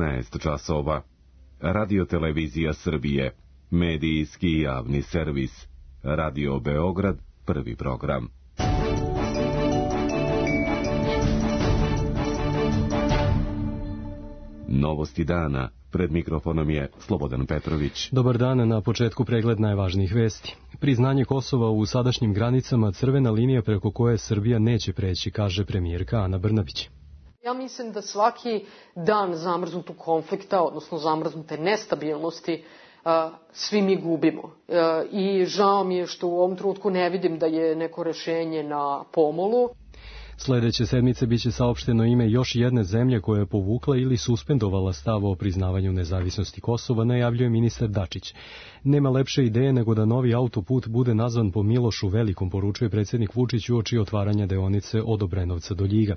15 časova. Radio-televizija Srbije, medijski javni servis. Radio Beograd, prvi program. Novosti dana. Pred mikrofonom je Slobodan Petrović. Dobar dan, na početku pregled najvažnijih vesti. Priznanje Kosova u sadašnjim granicama crvena linija preko koje Srbija neće preći, kaže premijerka Ana Brnabić. Ja mislim da svaki dan zamrznutog konflikta, odnosno zamrznute nestabilnosti, svi mi gubimo. I žao mi je što u ovom trenutku ne vidim da je neko rešenje na pomolu. Sledeće sedmice biće saopšteno ime još jedne zemlje koja je povukla ili suspendovala stav o priznavanju nezavisnosti Kosova, najavljuje ministar Dačić. Nema lepše ideje nego da novi autoput bude nazvan po Milošu Velikom, poručuje predsjednik Vučić uoči otvaranja deonice od Obrenovca do Ljiga.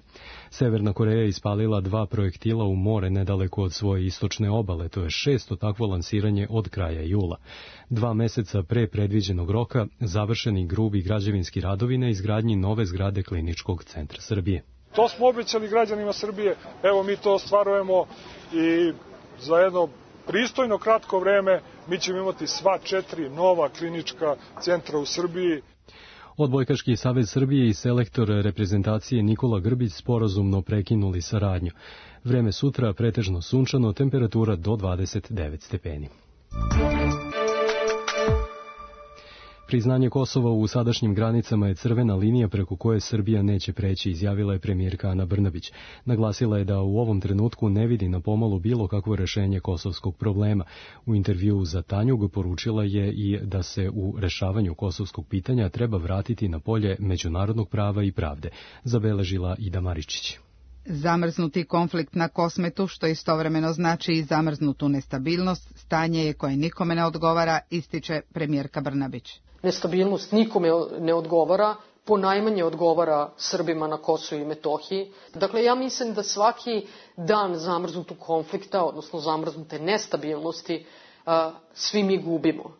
Severna Koreja je ispalila 2 projektila u more nedaleko od svoje istočne obale, to je 6. takvo lansiranje od kraja jula. 2 meseca pre predviđenog roka završeni grubi građevinski radovi na izgradnji nove zgrade Kliničkog centra Srbije. To smo obećali građanima Srbije, evo mi to ostvarujemo i za jedno pristojno kratko vreme mi ćemo imati sva 4 nova klinička centra u Srbiji. Odbojkaški savez Srbije i selektor reprezentacije Nikola Grbić sporazumno prekinuli saradnju. Vreme sutra pretežno sunčano, temperatura do 29 stepeni. Priznanje Kosova u sadašnjim granicama je crvena linija preko koje Srbija neće preći, izjavila je premijerka Ana Brnabić. Naglasila je da u ovom trenutku ne vidi na pomolu bilo kakvo rešenje kosovskog problema. U intervjuu za Tanjug poručila je i da se u rešavanju kosovskog pitanja treba vratiti na polje međunarodnog prava i pravde, zabeležila Ida Maričić. Zamrznuti konflikt na Kosmetu, što istovremeno znači i zamrznutu nestabilnost, stanje je koje nikome ne odgovara, ističe premijerka Brnabić. Nestabilnost nikome ne odgovara, ponajmanje odgovara Srbima na Kosovu i Metohiji. Dakle, ja mislim da svaki dan zamrznutog konflikta, odnosno zamrznute nestabilnosti, svi mi gubimo.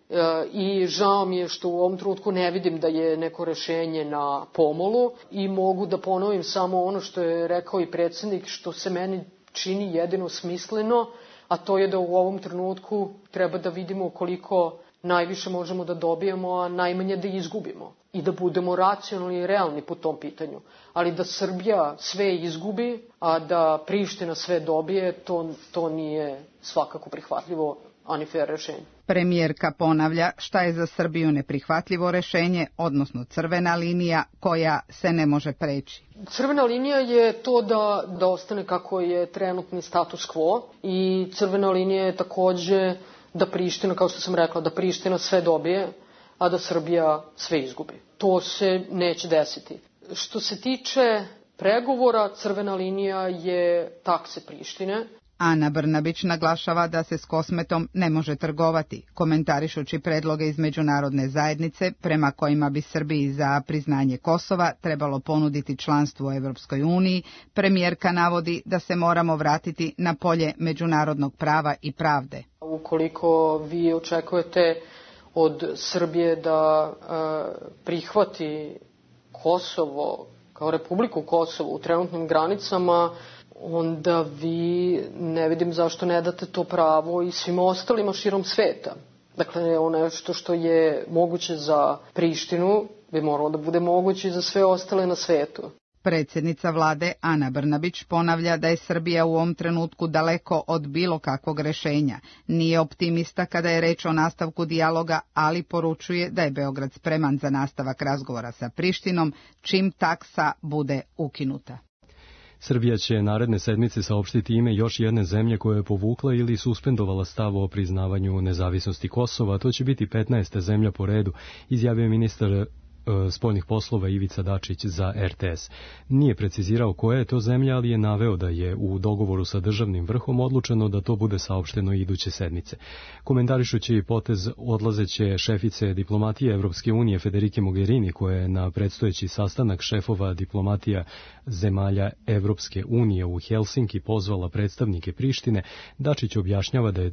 I žao mi je što u ovom trenutku ne vidim da je neko rešenje na pomolu i mogu da ponovim samo ono što je rekao i predsjednik, što se meni čini jedino smisleno, a to je da u ovom trenutku treba da vidimo koliko najviše možemo da dobijemo, a najmanje da izgubimo. I da budemo racionalni i realni po tom pitanju. Ali da Srbija sve izgubi, a da Priština sve dobije, to nije svakako prihvatljivo, ani fair rešenje. Premijerka ponavlja šta je za Srbiju neprihvatljivo rešenje, odnosno crvena linija koja se ne može preći. Crvena linija je to da ostane kako je trenutni status quo i crvena linija je takođe da Priština, kao što sam rekla, da Priština sve dobije, a da Srbija sve izgubi. To se neće desiti. Što se tiče pregovora, crvena linija je takse Prištine. Ana Brnabić naglašava da se s Kosmetom ne može trgovati, komentarišući predloge iz međunarodne zajednice prema kojima bi Srbiji za priznanje Kosova trebalo ponuditi članstvo u Evropskoj uniji. Premijerka navodi da se moramo vratiti na polje međunarodnog prava i pravde. Ukoliko vi očekujete od Srbije da prihvati Kosovo kao Republiku Kosovo u trenutnim granicama, onda vi ne vidim zašto ne date to pravo i svima ostalima širom sveta. Dakle, ono što je moguće za Prištinu bi moralo da bude moguće i za sve ostale na svetu. Predsjednica vlade Ana Brnabić ponavlja da je Srbija u ovom trenutku daleko od bilo kakvog rešenja. Nije optimista kada je reč o nastavku dijaloga, ali poručuje da je Beograd spreman za nastavak razgovora sa Prištinom čim taksa bude ukinuta. Srbija će naredne sedmice saopštiti ime još jedne zemlje koja je povukla ili suspendovala stav o priznavanju nezavisnosti Kosova. To će biti 15. zemlja po redu, izjavio ministar spoljnih poslova Ivica Dačić za RTS. Nije precizirao koja je to zemlja, ali je naveo da je u dogovoru sa državnim vrhom odlučeno da to bude saopšteno iduće sedmice. Komentarišući potez odlazeće šefice diplomatije Evropske unije Federike Mogherini, koja je na predstojeći sastanak šefova diplomatija zemalja Evropske unije u Helsinki pozvala predstavnike Prištine, Dačić objašnjava da je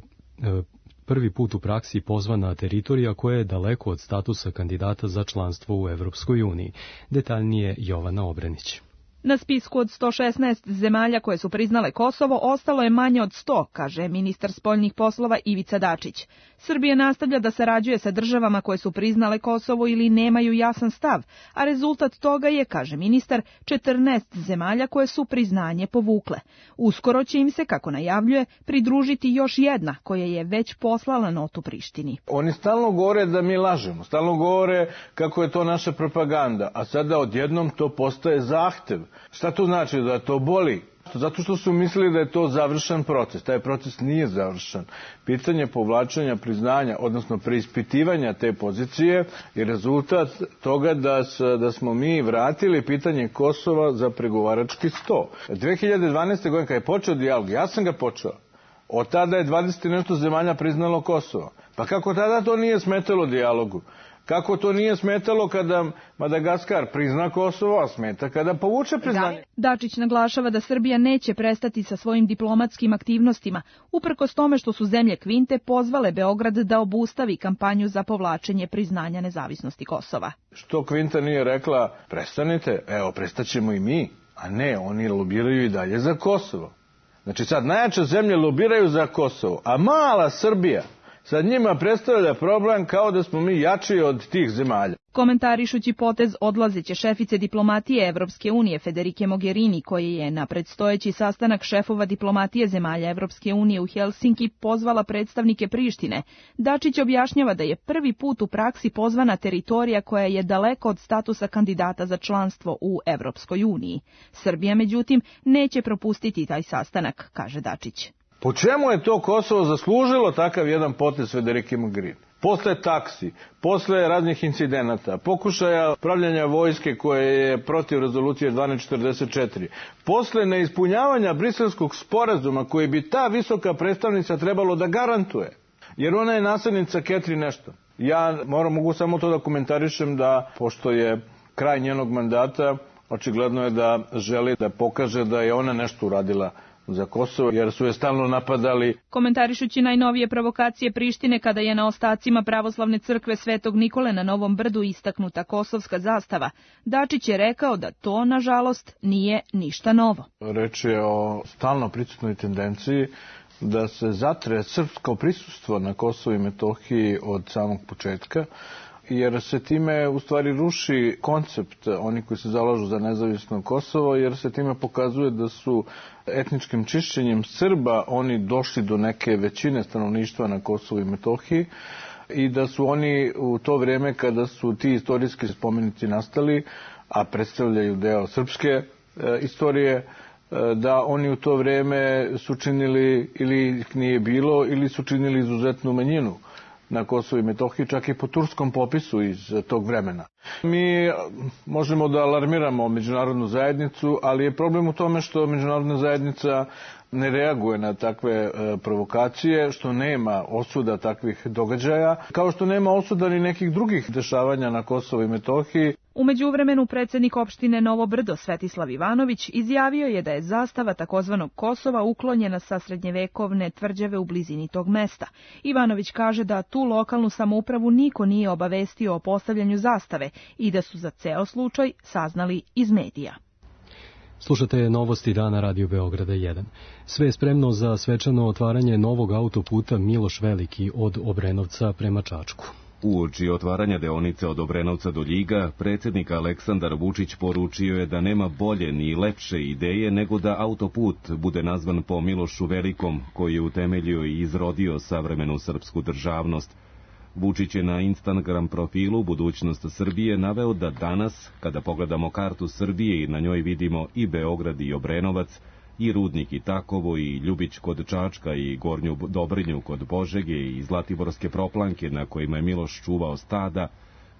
prvi put u praksi pozvana teritorija koja je daleko od statusa kandidata za članstvo u Evropskoj uniji. Detaljnije Jovana Obrenić. Na spisku od 116 zemalja koje su priznale Kosovo ostalo je manje od 100, kaže ministar spoljnih poslova Ivica Dačić. Srbija nastavlja da sarađuje sa državama koje su priznale Kosovo ili nemaju jasan stav, a rezultat toga je, kaže ministar, 14 zemalja koje su priznanje povukle. Uskoro će im se, kako najavljuje, pridružiti još jedna koja je već poslala notu Prištini. Oni stalno govore da mi lažemo, stalno govore kako je to naša propaganda, a sada odjednom to postaje zahtev. Šta to znači? Da to boli? Zato što su mislili da je to završen proces. Taj proces nije završen. Pitanje povlačenja priznanja, odnosno preispitivanja te pozicije je rezultat toga da smo mi vratili pitanje Kosova za pregovarački sto. 2012. godine kada je počeo dijalog, ja sam ga počeo. Od tada je 20 i nešto zemalja priznalo Kosovo. Pa kako tada to nije smetalo dijalogu? Kako to nije smetalo kada Madagaskar prizna Kosovo, a smeta kada povuče priznanje? Dačić naglašava da Srbija neće prestati sa svojim diplomatskim aktivnostima, uprkos tome što su zemlje Kvinte pozvale Beograd da obustavi kampanju za povlačenje priznanja nezavisnosti Kosova. Što Kvinta nije rekla, prestanite, evo, prestaćemo i mi, a ne, oni lobiraju i dalje za Kosovo. Znači sad najjače zemlje lobiraju za Kosovo, a mala Srbija sad njima predstavlja problem kao da smo mi jači od tih zemalja. Komentarišući potez odlazeće šefice diplomatije Evropske unije Federike Mogherini, koji je na predstojeći sastanak šefova diplomatije zemalja Evropske unije u Helsinki pozvala predstavnike Prištine, Dačić objašnjava da je prvi put u praksi pozvana teritorija koja je daleko od statusa kandidata za članstvo u Evropskoj uniji. Srbija, međutim, neće propustiti taj sastanak, kaže Dačić. Po čemu je to Kosovo zaslužilo takav jedan potez Federike Mogherini? Posle taksi, posle raznih incidenata, pokušaja pravljanja vojske koje je protiv rezolucije 1244, posle neispunjavanja briselskog sporazuma koji bi ta visoka predstavnica trebalo da garantuje, jer ona je naslednica Catherine Ashton. Ja mogu samo to da komentarišem da, pošto je kraj njenog mandata, očigledno je da želi da pokaže da je ona nešto uradila za Kosovo, jer su je stalno napadali. Komentarišući najnovije provokacije Prištine kada je na ostacima pravoslavne crkve Svetog Nikole na Novom Brdu istaknuta kosovska zastava, Dačić je rekao da to, nažalost, nije ništa novo. Reč je o stalno prisutnoj tendenciji da se zatre srpsko prisustvo na Kosovu i Metohiji od samog početka, jer se time u stvari ruši koncept oni koji se zalažu za nezavisno Kosovo, jer se time pokazuje da su etničkim čišćenjem Srba oni došli do neke većine stanovništva na Kosovu i Metohiji i da su oni u to vrijeme kada su ti istorijski spomenici nastali, a predstavljaju deo srpske istorije, da oni u to vrijeme su činili ili ih nije bilo ili su činili izuzetnu manjinu na Kosovu i Metohiji, čak i po turskom popisu iz tog vremena. Mi možemo da alarmiramo međunarodnu zajednicu, ali je problem u tome što međunarodna zajednica ne reaguje na takve provokacije, što nema osuda takvih događaja, kao što nema osuda ni nekih drugih dešavanja na Kosovu i Metohiji. U međuvremenu predsjednik opštine Novo Brdo Svetislav Ivanović izjavio je da je zastava takozvanog Kosova uklonjena sa srednjevekovne tvrđave u blizini tog mesta. Ivanović kaže da tu lokalnu samoupravu niko nije obavestio o postavljanju zastave i da su za ceo slučaj saznali iz medija. Slušate novosti dana Radio Beograda 1. Sve je spremno za svečano otvaranje novog autoputa Miloš Veliki od Obrenovca prema Čačku. Uoči otvaranja deonice od Obrenovca do Ljiga, predsjednik Aleksandar Vučić poručio je da nema bolje ni lepše ideje nego da autoput bude nazvan po Milošu Velikom, koji je utemeljio i izrodio savremenu srpsku državnost. Vučić je na Instagram profilu Budućnost Srbije naveo da danas, kada pogledamo kartu Srbije i na njoj vidimo i Beograd i Obrenovac, i Rudnik i Takovo, i Ljubić kod Čačka, i Gornju Dobrinju kod Požege, i Zlatiborske proplanke na kojima je Miloš čuvao stada,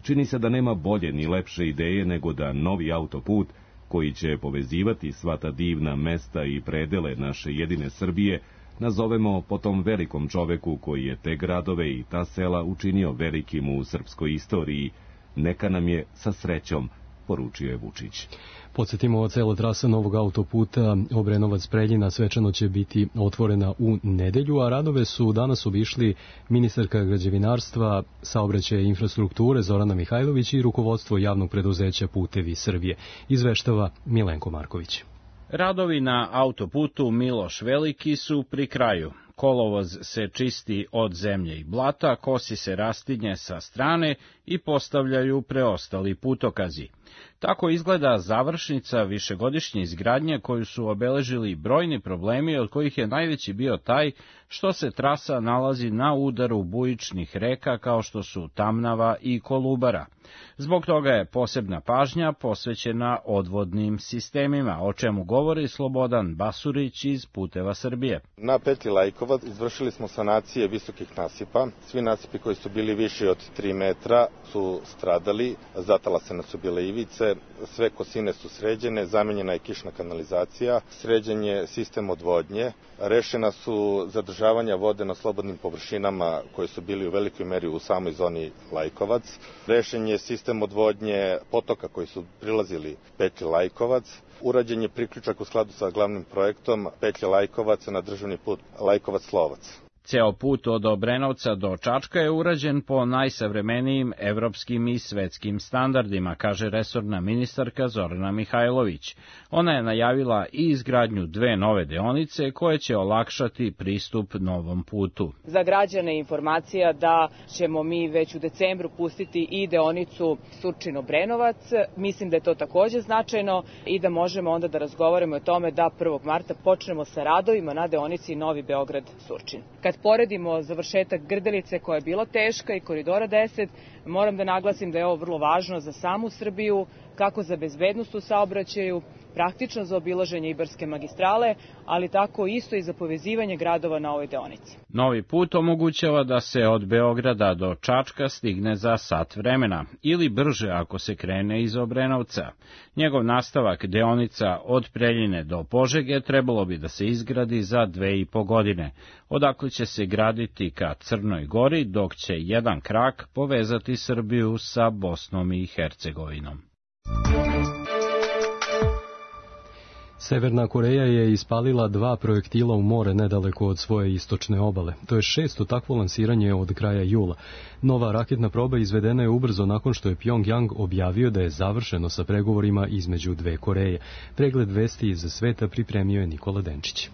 čini se da nema bolje ni lepše ideje nego da novi autoput, koji će povezivati sva ta divna mesta i predele naše jedine Srbije, nazovemo po tom velikom čoveku koji je te gradove i ta sela učinio velikim u srpskoj istoriji. Neka nam je sa srećom, poručio je Vučić. Podsjetimo, cela trasa novog autoputa Obrenovac-Preljina svečano će biti otvorena u nedelju, a radove su danas obišli ministarka građevinarstva, saobraćaja i infrastrukture Zorana Mihajlović i rukovodstvo javnog preduzeća Putevi Srbije. Izveštava Milenko Marković. Radovi na autoputu Miloš Veliki su pri kraju. Kolovoz se čisti od zemlje i blata, kosi se rastinje sa strane i postavljaju preostali putokazi. Tako izgleda završnica višegodišnje izgradnje koju su obeležili brojni problemi, od kojih je najveći bio taj što se trasa nalazi na udaru bujičnih reka kao što su Tamnava i Kolubara. Zbog toga je posebna pažnja posvećena odvodnim sistemima, o čemu govori Slobodan Basurić iz Puteva Srbije. Na petlji Lajkovac izvršili smo sanacije visokih nasipa. Svi nasipi koji su bili viši od 3 metra su stradali, zatalasene su bile ivice, sve kosine su sređene, zamenjena je kišna kanalizacija, sređen je sistem odvodnje, rešena su zadržavanja vode na slobodnim površinama koje su bili u velikoj meri u samoj zoni Lajkovac, rešen je sistem odvodnje potoka koji su prilazili petlji Lajkovac, urađen je priključak u skladu sa glavnim projektom petlje Lajkovac na državni put Lajkovac-Slovac. Ceo put od Obrenovca do Čačka je urađen po najsavremenijim evropskim i svetskim standardima, kaže resorna ministarka Zorana Mihajlović. Ona je najavila i izgradnju 2 nove deonice koje će olakšati pristup novom putu. Za građane informacija da ćemo mi već u decembru pustiti i deonicu Surčin-Obrenovac. Mislim da je to takođe značajno i da možemo onda da razgovaramo o tome da 1. marta počnemo sa radovima na deonici Novi Beograd-Surčin. Kad poredimo završetak Grdelice koja je bila teška i Koridora 10, moram da naglasim da je ovo vrlo važno za samu Srbiju, kako za bezbednost u saobraćaju, praktično za obilaženje Ibarske magistrale, ali tako isto i za povezivanje gradova na ovoj deonici. Novi put omogućava da se od Beograda do Čačka stigne za sat vremena, ili brže ako se krene iz Obrenovca. Njegov nastavak, deonica od Preljine do Požege, trebalo bi da se izgradi za 2,5 godine, odakle će se graditi ka Crnoj Gori, dok će jedan krak povezati Srbiju sa Bosnom i Hercegovinom. Severna Koreja je ispalila 2 projektila u more nedaleko od svoje istočne obale. To je 6. takvo lansiranje od kraja jula. Nova raketna proba izvedena je ubrzo nakon što je Pjongjang objavio da je završeno sa pregovorima između 2 Koreje. Pregled vesti iz sveta pripremio je Nikola Denčić.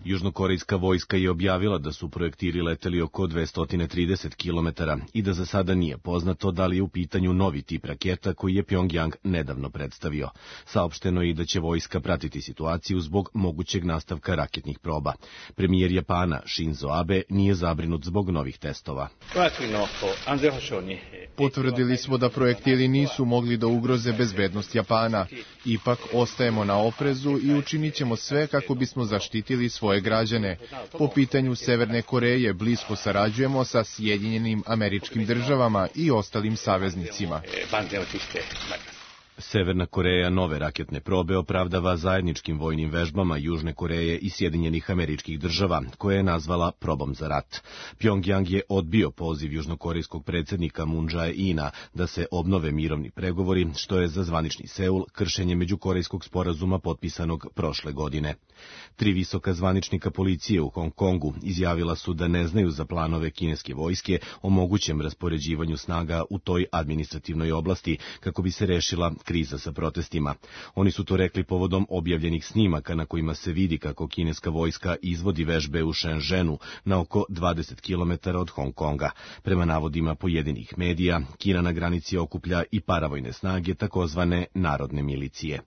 Južnokorejska vojska je objavila da su projektili leteli oko 230 km i da za sada nije poznato da li je u pitanju novi tip raketa koji je Pjongjang nedavno predstavio. Saopšteno je i da će vojska pratiti situaciju zbog mogućeg nastavka raketnih proba. Premijer Japana Shinzo Abe nije zabrinut zbog novih testova. Potvrdili smo da projektili nisu mogli da ugroze bezbednost Japana. Ipak ostajemo na oprezu i učinit ćemo sve kako bismo zaštitili svoje građane. Po pitanju Severne Koreje blisko sarađujemo sa Sjedinjenim Američkim Državama i ostalim saveznicima. Severna Koreja nove raketne probe opravdava zajedničkim vojnim vežbama Južne Koreje i Sjedinjenih Američkih Država, koje je nazvala probom za rat. Pjongjang je odbio poziv južnokorejskog predsjednika Moon Jae-ina da se obnove mirovni pregovori, što je za zvanični Seul kršenje međukorejskog sporazuma potpisanog prošle godine. 3 visoka zvaničnika policije u Hong Kongu izjavila su da ne znaju za planove kineske vojske o mogućem raspoređivanju snaga u toj administrativnoj oblasti kako bi se rešila kriza sa protestima. Oni su to rekli povodom objavljenih snimaka na kojima se vidi kako kineska vojska izvodi vežbe u Shenzhenu na oko 20 km od Hong Konga. Prema navodima pojedinih medija, Kina na granici okuplja i paravojne snage takozvane narodne milicije.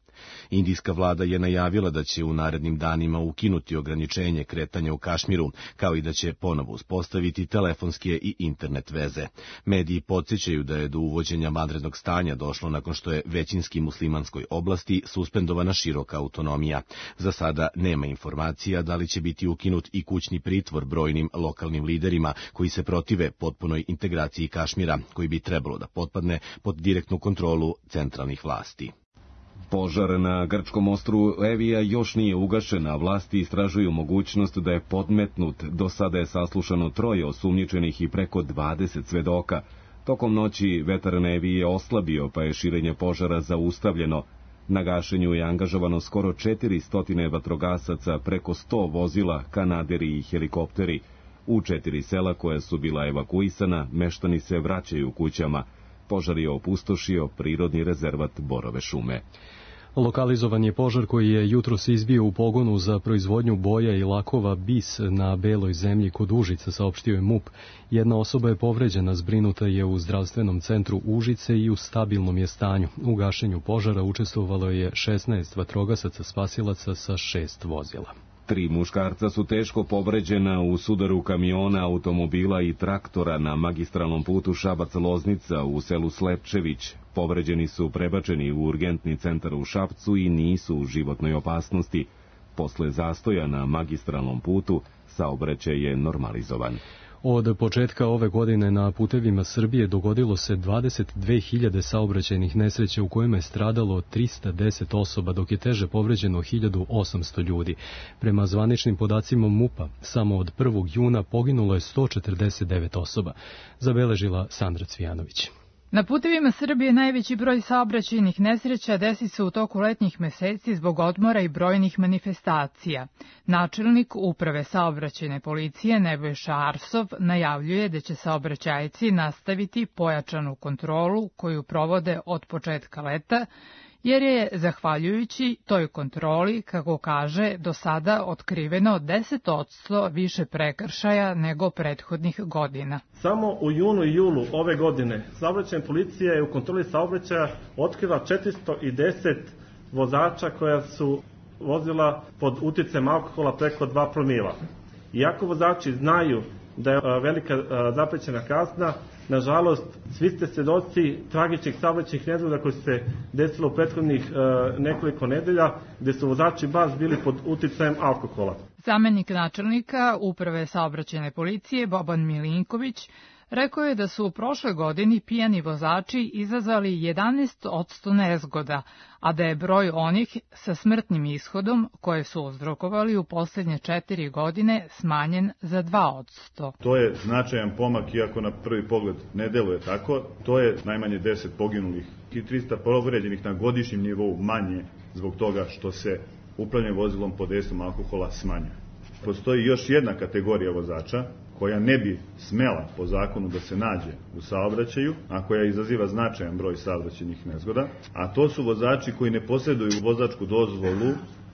Indijska vlada je najavila da će u narednim danima ukinuti ograničenje kretanja u Kašmiru, kao i da će ponovo uspostaviti telefonske i internet veze. Mediji podsjećaju da je do uvođenja vanrednog stanja došlo nakon što je većinski muslimanskoj oblasti suspendovana široka autonomija. Za sada nema informacija da li će biti ukinut i kućni pritvor brojnim lokalnim liderima koji se protive potpunoj integraciji Kašmira, koji bi trebalo da potpadne pod direktnu kontrolu centralnih vlasti. Požar na grčkom ostrvu Evija još nije ugašen, a vlasti istražuju mogućnost da je podmetnut. Do sada je saslušano 3 osumnjičenih i preko 20 svedoka. Tokom noći vetar na Eviji je oslabio, pa je širenje požara zaustavljeno. Na gašenju je angažovano skoro 400 vatrogasaca, preko 100 vozila, kanaderi i helikopteri. U 4 sela koja su bila evakuisana, meštani se vraćaju kućama. Požar je opustošio prirodni rezervat Borove šume. Lokalizovan je požar koji je jutros izbio u pogonu za proizvodnju boja i lakova BIS na Beloj zemlji kod Užica, saopštio je MUP. Jedna osoba je povređena, zbrinuta je u zdravstvenom centru Užice i u stabilnom je stanju. U gašenju požara učestvovalo je 16 vatrogasaca spasilaca sa 6 vozila. 3 muškarca su teško povređena u sudaru kamiona, automobila i traktora na magistralnom putu Šabac-Loznica u selu Slepčević. Povređeni su prebačeni u urgentni centar u Šapcu i nisu u životnoj opasnosti. Posle zastoja na magistralnom putu, saobraćaj je normalizovan. Od početka ove godine na putevima Srbije dogodilo se 22.000 saobraćajnih nesreća u kojima je stradalo 310 osoba, dok je teže povređeno 1.800 ljudi. Prema zvaničnim podacima MUP-a, samo od 1. juna poginulo je 149 osoba, zabeležila Sandra Cvijanović. Na putevima Srbije najveći broj saobraćajnih nesreća desi se u toku letnjih meseci zbog odmora i brojnih manifestacija. Načelnik Uprave saobraćajne policije Nebojša Arsov najavljuje da će saobraćajci nastaviti pojačanu kontrolu koju provode od početka leta, jer je, zahvaljujući toj kontroli, kako kaže, do sada otkriveno 10% više prekršaja nego prethodnih godina. Samo u junu i julu ove godine saobraćajna policija je u kontroli saobraćaja otkrila 410 vozača koja su vozila pod uticajem alkohola preko 2 promila. Iako vozači znaju da je velika zaprećena kazna, nažalost, svi ste svedoci tragičnih saobraćajnih nezgoda koji su se desilo u prethodnih nekoliko nedelja, gde su vozači baš bili pod uticajem alkohola. Zamenik načelnika Uprave saobraćajne policije Boban Milinković rekao je da su u prošloj godini pijani vozači izazvali 11% nezgoda, a da je broj onih sa smrtnim ishodom koje su uzrokovali u poslednje 4 godine smanjen za 2%. To je značajan pomak, iako na prvi pogled ne deluje tako. To je najmanje 10 poginulih i 300 povređenih na godišnjem nivou manje zbog toga što se upravljanje vozilom pod dejstvom alkohola smanjuje. Postoji još jedna kategorija vozača koja ne bi smela po zakonu da se nađe u saobraćaju, a koja izaziva značajan broj saobraćajnih nezgoda, a to su vozači koji ne posjeduju vozačku dozvolu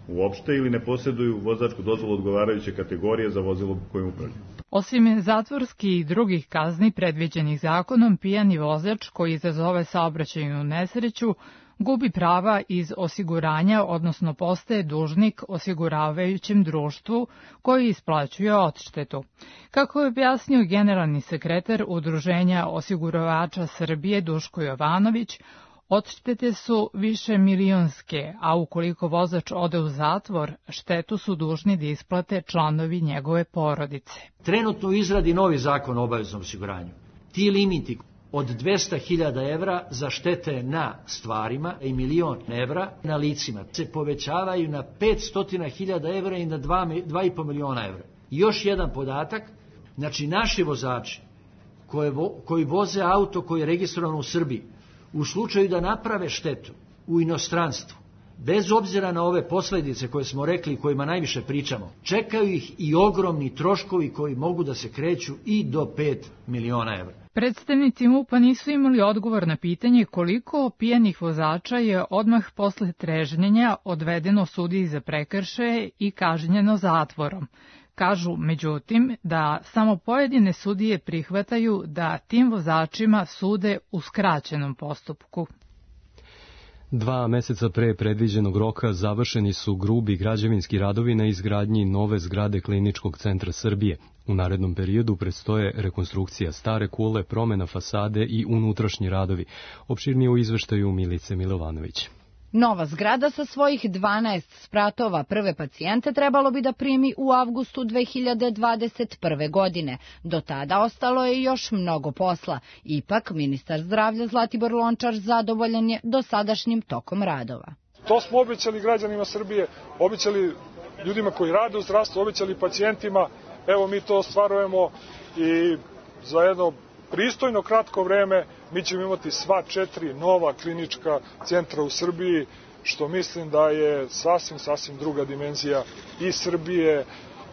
uopšte ili ne posjeduju vozačku dozvolu odgovarajuće kategorije za vozilo kojim upravljaju. Osim zatvorskih i drugih kazni predviđenih zakonom, pijani vozač koji izazove saobraćajnu nesreću gubi prava iz osiguranja, odnosno postaje dužnik osiguravajućem društvu koji isplaćuje odštetu. Kako je objasnio generalni sekretar Udruženja osiguravača Srbije Duško Jovanović, odštete su više milionske, a ukoliko vozač ode u zatvor, štetu su dužni da isplate članovi njegove porodice. Trenutno u izradi novi zakon o obaveznom osiguranju. Ti limiti od 200.000 evra za štete na stvarima i 1.000.000 evra na licima se povećavaju na 500.000 evra i na 2,5 miliona evra. Još jedan podatak, znači naši vozači koji voze auto koji je registrovan u Srbiji, u slučaju da naprave štetu u inostranstvu, bez obzira na ove posledice koje smo rekli i kojima najviše pričamo, čekaju ih i ogromni troškovi koji mogu da se kreću i do 5 miliona evra. Predstavnici MUP-a nisu imali odgovor na pitanje koliko pijanih vozača je odmah posle trežnjenja odvedeno sudiji za prekršaje i kažnjeno zatvorom. Kažu, međutim, da samo pojedine sudije prihvataju da tim vozačima sude u skraćenom postupku. 2 meseca pre predviđenog roka završeni su grubi građevinski radovi na izgradnji nove zgrade Kliničkog centra Srbije. U narednom periodu predstoje rekonstrukcija stare kule, promena fasade i unutrašnji radovi. Opširnije u izveštaju Milice Milovanović. Nova zgrada sa svojih 12 spratova prve pacijente trebalo bi da primi u avgustu 2021. godine. Do tada ostalo je još mnogo posla. Ipak, ministar zdravlja Zlatibor Lončar zadovoljan je dosadašnjim tokom radova. To smo obećali građanima Srbije, obećali ljudima koji rade u zdravstvu, obećali pacijentima. Evo, mi to ostvarujemo i za jedno pristojno kratko vreme mi ćemo imati sva 4 nova klinička centra u Srbiji, što mislim da je sasvim druga dimenzija i Srbije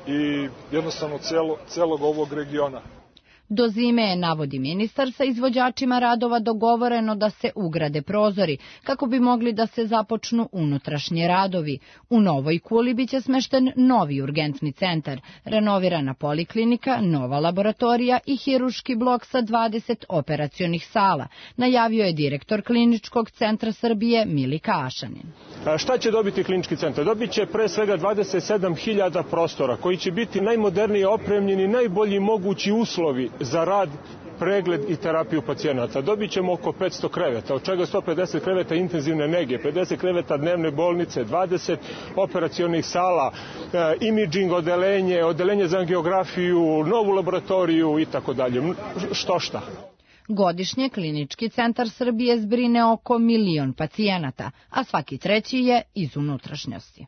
i jednostavno celog ovog regiona. Do zime je, navodi ministar, sa izvođačima radova dogovoreno da se ugrade prozori, kako bi mogli da se započnu unutrašnji radovi. U Novoj Kuli biće smešten novi urgentni centar, renovirana poliklinika, nova laboratorija i hiruški blok sa 20 operacionih sala, najavio je direktor Kliničkog centra Srbije Milika Ašanin. Šta će dobiti klinički centar? Dobit će pre svega 27.000 prostora, koji će biti najmodernije opremljeni, najbolji mogući uslovi za rad, pregled i terapiju pacijenata. Dobit ćemo oko 500 kreveta, od čega 150 kreveta intenzivne nege, 50 kreveta dnevne bolnice, 20 operacionih sala, imidžing odeljenje za angiografiju, novu laboratoriju i tako dalje. Šta? Godišnje Klinički centar Srbije zbrine oko 1 milion pacijenata, a svaki treći je iz unutrašnjosti.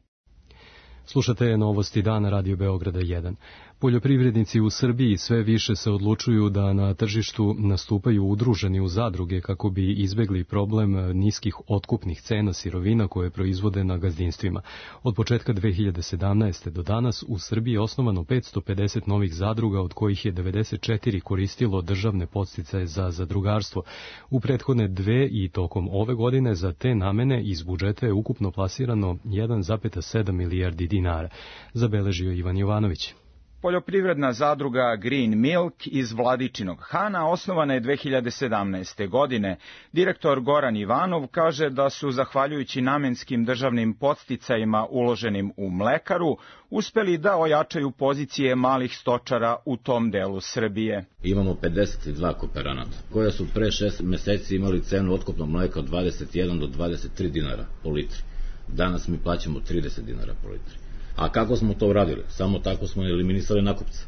Slušate novosti dana Radio Beograda 1. Poljoprivrednici u Srbiji sve više se odlučuju da na tržištu nastupaju udruženi u zadruge kako bi izbegli problem niskih otkupnih cena sirovina koje proizvode na gazdinstvima. Od početka 2017. do danas u Srbiji je osnovano 550 novih zadruga, od kojih je 94 koristilo državne podsticaje za zadrugarstvo. U prethodne 2 i tokom ove godine za te namene iz budžeta je ukupno plasirano 1,7 milijardi dinara, zabeležio Ivan Jovanović. Poljoprivredna zadruga Green Milk iz Vladičinog Hana osnovana je 2017. godine. Direktor Goran Ivanov kaže da su, zahvaljujući namenskim državnim podsticajima uloženim u mlekaru, uspeli da ojačaju pozicije malih stočara u tom delu Srbije. Imamo 52 kooperanata, koja su pre 6 meseci imali cenu otkupnog mleka od 21 do 23 dinara po litri. Danas mi plaćamo 30 dinara po litri. A kako smo to uradili? Samo tako smo eliminisali nakupca.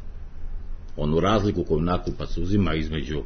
Onu razliku koju nakupac uzima između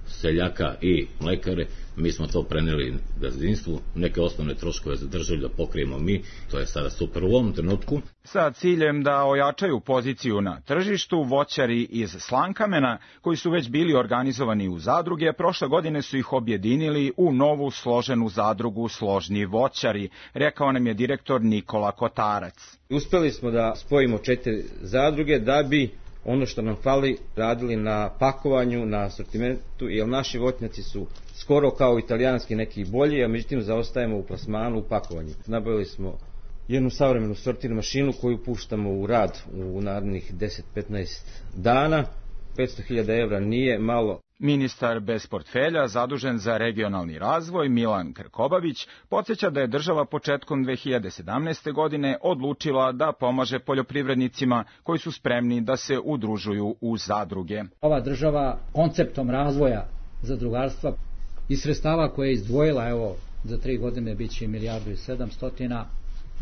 seljaka i mlekare, mi smo to preneli gazdinstvu, neke osnovne troškove zadržali da pokrijemo mi, to je sada super u ovom trenutku. Sa ciljem da ojačaju poziciju na tržištu, voćari iz Slankamena, koji su već bili organizovani u zadruge, prošle godine su ih objedinili u novu složenu zadrugu Složni voćari, rekao nam je direktor Nikola Kotarac. Uspeli smo da spojimo 4 zadruge da bi ono što nam fali radili na pakovanju, na asortimentu, jer naši voćnjaci su skoro kao italijanski neki bolji, a međutim zaostajemo u plasmanu, u pakovanju. Nabavili smo jednu savremenu sortir mašinu koju puštamo u rad u narednih 10-15 dana. 500.000 evra nije malo. Ministar bez portfelja, zadužen za regionalni razvoj, Milan Krkobabić, podsjeća da je država početkom 2017. godine odlučila da pomaže poljoprivrednicima koji su spremni da se udružuju u zadruge. Ova država konceptom razvoja zadrugarstva i sredstava koje je izdvojila, evo, za 3 godine biće 1.700.000.000,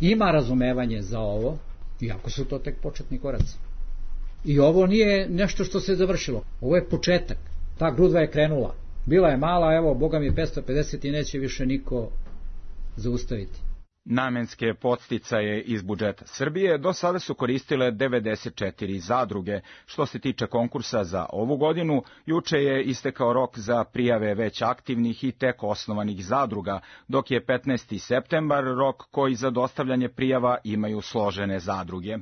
ima razumevanje za ovo, iako su to tek početni koraci. I ovo nije nešto što se završilo, ovo je početak. Ta grudva je krenula. Bila je mala, evo, boga mi 550 i neće više niko zaustaviti. Namenske podsticaje iz budžeta Srbije do sada su koristile 94 zadruge. Što se tiče konkursa za ovu godinu, juče je istekao rok za prijave već aktivnih i tek osnovanih zadruga, dok je 15. septembar rok koji za dostavljanje prijava imaju složene zadruge.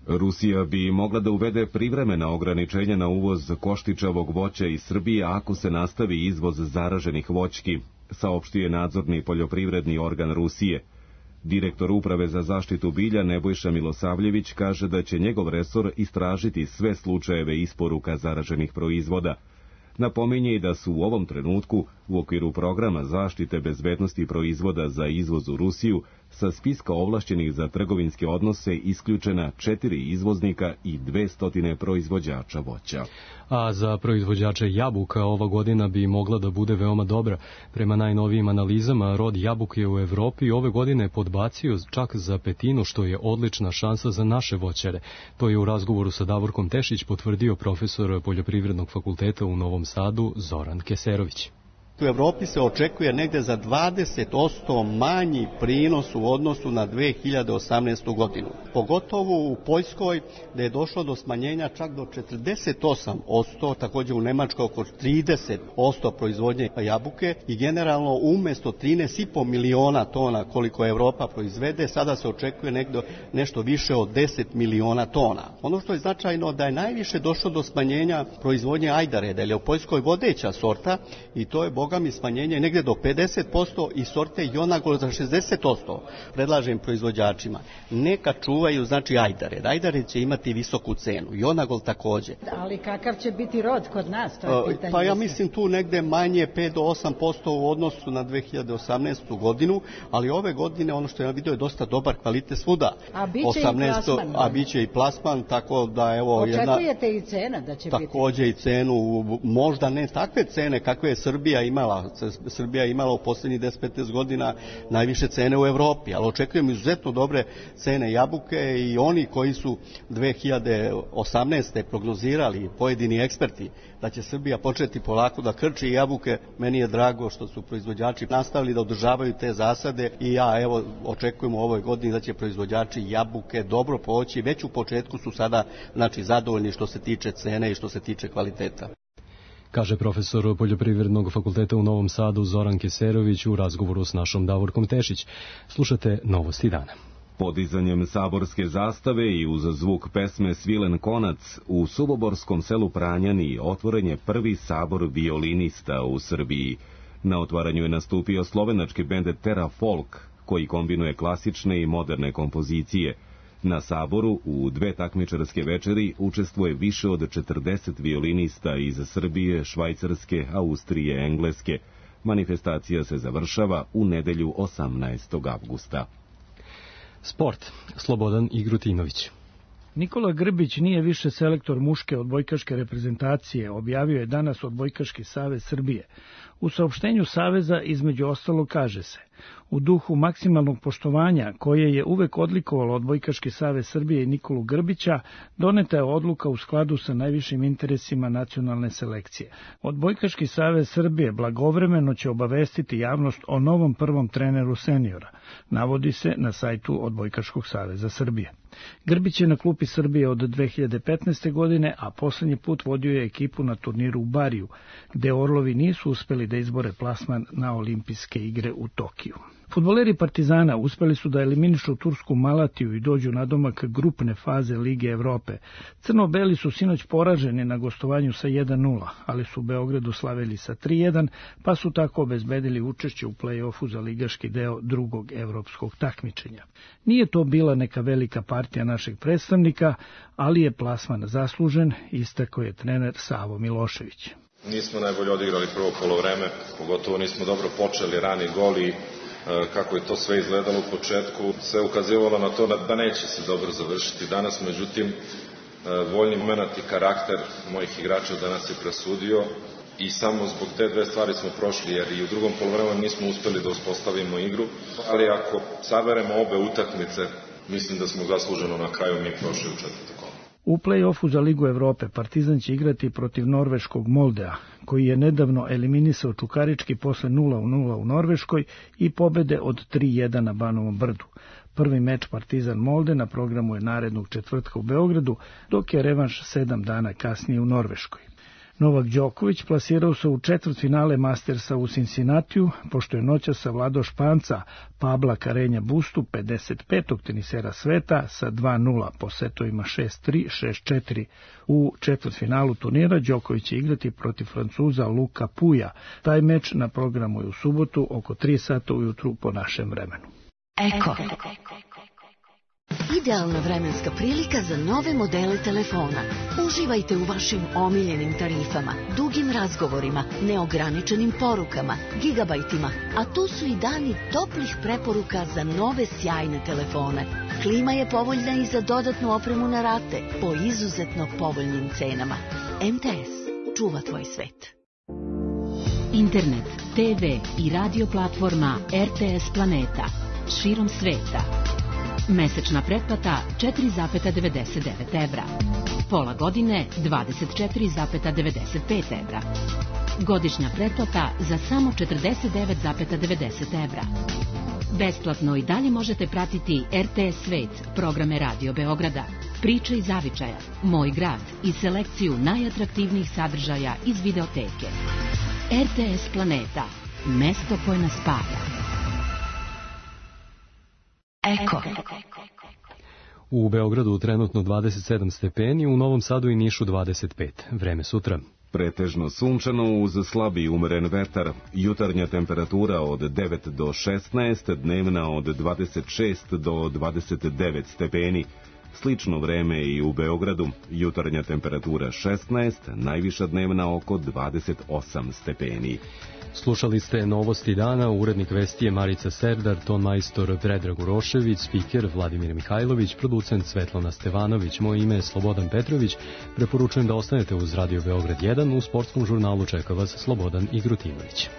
Rusija bi mogla da uvede privremena ograničenja na uvoz koštičavog voća iz Srbije ako se nastavi izvoz zaraženih voćki, saopštio je nadzorni poljoprivredni organ Rusije. Direktor Uprave za zaštitu bilja Nebojša Milosavljević kaže da će njegov resor istražiti sve slučajeve isporuka zaraženih proizvoda. Napominje i da su u ovom trenutku u okviru programa zaštite bezbednosti proizvoda za izvoz u Rusiju sa spiska ovlašćenih za trgovinske odnose isključena 4 izvoznika i 200 proizvođača voća. A za proizvođače jabuka ova godina bi mogla da bude veoma dobra. Prema najnovijim analizama, rod jabuke u Evropi ove godine podbacio čak za 1/5, što je odlična šansa za naše voćare. To je u razgovoru sa Davorkom Tešić potvrdio profesor Poljoprivrednog fakulteta u Novom Sadu Zoran Keserović. U Evropi se očekuje negde za 20% manji prinos u odnosu na 2018. godinu. Pogotovo u Poljskoj, gde je došlo do smanjenja čak do 48%, također u Nemačkoj oko 30% proizvodnje jabuke i generalno umjesto 13,5 miliona tona koliko Evropa proizvede, sada se očekuje nešto više od 10 miliona tona. Ono što je značajno da je najviše došlo do smanjenja proizvodnje ajdare, da je u Poljskoj vodeća sorta i to je bogami smanjenje negde do 50% i sorte Jonagol za 60%. Predlažem proizvođačima, neka čuvaju znači ajdare. Ajdare će imati visoku cenu, Jonagol također. Ali kakav će biti rod kod nas? To je pitanje. Pa ja mislim tu negde manje 5 do 8% u odnosu na 2018. godinu, ali ove godine ono što ja vidio je dosta dobar kvalitet svuda. A biće 18, i plasman. A biće i plasman, tako da evo... Očekujete i cena da će također biti? Također i cenu, možda ne takve cene kakve je Srbija imala. Srbija je imala u posljednjih 10-15 godina najviše cene u Evropi, ali očekujem izuzetno dobre cene jabuke i oni koji su 2018. prognozirali, pojedini eksperti, da će Srbija početi polako da krči jabuke. Meni je drago što su proizvođači nastavili da održavaju te zasade i ja evo očekujem u ovoj godini da će proizvođači jabuke dobro poći. Već u početku su sada znači zadovoljni što se tiče cene i što se tiče kvaliteta. Kaže profesor Poljoprivrednog fakulteta u Novom Sadu Zoran Keserović u razgovoru s našom Davorkom Tešić. Slušate Novosti dana. Podizanjem saborske zastave i uz zvuk pesme Svilen konac u suboborskom selu Pranjani otvoren je prvi sabor violinista u Srbiji. Na otvaranju je nastupio slovenački bend Terra Folk, koji kombinuje klasične i moderne kompozicije. Na saboru u 2 takmičarske večeri učestvuje više od 40 violinista iz Srbije, Švajcarske, Austrije, Engleske. Manifestacija se završava u nedelju 18. avgusta. Sport. Slobodan Igrutinović. Nikola Grbić nije više selektor muške odbojkaške reprezentacije, objavio je danas Odbojkaški savez Srbije. U saopštenju saveza između ostalo kaže se: u duhu maksimalnog poštovanja koje je uvek odlikovalo Odbojkaški savez Srbije i Nikolu Grbića, doneta je odluka u skladu sa najvišim interesima nacionalne selekcije. Odbojkaški savez Srbije blagovremeno će obavestiti javnost o novom prvom treneru seniora, navodi se na sajtu Odbojkaškog saveza Srbije. Grbić je na klupi Srbije od 2015. godine, a poslednji put vodio je ekipu na turniru u Bariju, gde Orlovi nisu uspeli da izbore plasman na olimpijske igre u Tokiju. Fudbaleri Partizana uspeli su da eliminišu tursku Malatiju i dođu na domak grupne faze Lige Evrope. Crno-beli su sinoć poraženi na gostovanju sa 1-0, ali su u Beogradu slavili sa 3-1, pa su tako obezbedili učešće u play-offu za ligaški deo drugog evropskog takmičenja. Nije to bila neka velika partija našeg predstavnika, ali je plasman zaslužen, istakao je trener Savo Milošević. Nismo najbolje odigrali prvo polovreme, pogotovo nismo dobro počeli, rani gol i kako je to sve izgledalo u početku, sve ukazivalo na to da neće se dobro završiti danas, međutim, voljni moment i karakter mojih igrača danas je presudio i samo zbog te 2 stvari smo prošli, jer i u drugom poluvremenu nismo uspeli da uspostavimo igru, ali ako saberemo obe utakmice, mislim da smo zasluženo na kraju mi prošli u 4. kolo. U play-offu za Ligu Evrope Partizan će igrati protiv norveškog Moldea, koji je nedavno eliminisao Čukarički posle 0-0 u Norveškoj i pobede od 3-1 na Banovom Brdu. Prvi meč Partizan Molde na programu je narednog četvrtka u Beogradu, dok je revanš 7 dana kasnije u Norveškoj. Novak Đoković plasirao se u četvrtfinale Mastersa u Cincinnatiju, pošto je noćas savladao Španca Pabla Carreña Bustu, 55. tenisera sveta, sa 2-0 po setovima 6-3, 6-4. U četvrtfinalu turnira Đoković će igrati protiv Francuza Luka Puja. Taj meč na programu je u subotu oko 3 sata ujutru po našem vremenu. Eko. Idealna vremenska prilika za nove modele telefona. Uživajte u vašim omiljenim tarifama, dugim razgovorima, neograničenim porukama, gigabajtima, a tu su i dani toplih preporuka za nove sjajne telefone. Klima je povoljna i za dodatnu opremu na rate po izuzetno povoljnim cenama. MTS. Čuva tvoj svet. Internet, TV i radio platforma RTS Planeta. Širom sveta. Mesečna pretplata 4,99 evra. Pola godine 24,95 evra. Godišnja pretplata za samo 49,90 evra. Besplatno i dalje možete pratiti RTS Svet, programe Radio Beograda, Priče iz zavičaja, Moj grad i selekciju najatraktivnijih sadržaja iz videoteke. RTS Planeta, mesto koje nas spaja. Eko. U Beogradu trenutno 27 stepeni, u Novom Sadu i Nišu 25. Vreme sutra. Pretežno sunčano uz slabi i umeren vetar, jutarnja temperatura od 9 do 16, dnevna od 26 do 29 stepeni. Slično vreme i u Beogradu, jutarnja temperatura 16, najviša dnevna oko 28 stepeni. Slušali ste novosti dana, urednik vesti je Marica Serdar, ton majstor Predrag Urošević, spiker Vladimir Mihajlović, producent Svetlana Stevanović, moje ime je Slobodan Petrović, preporučujem da ostanete uz Radio Beograd 1, u sportskom žurnalu čeka vas Slobodan Igrutinović.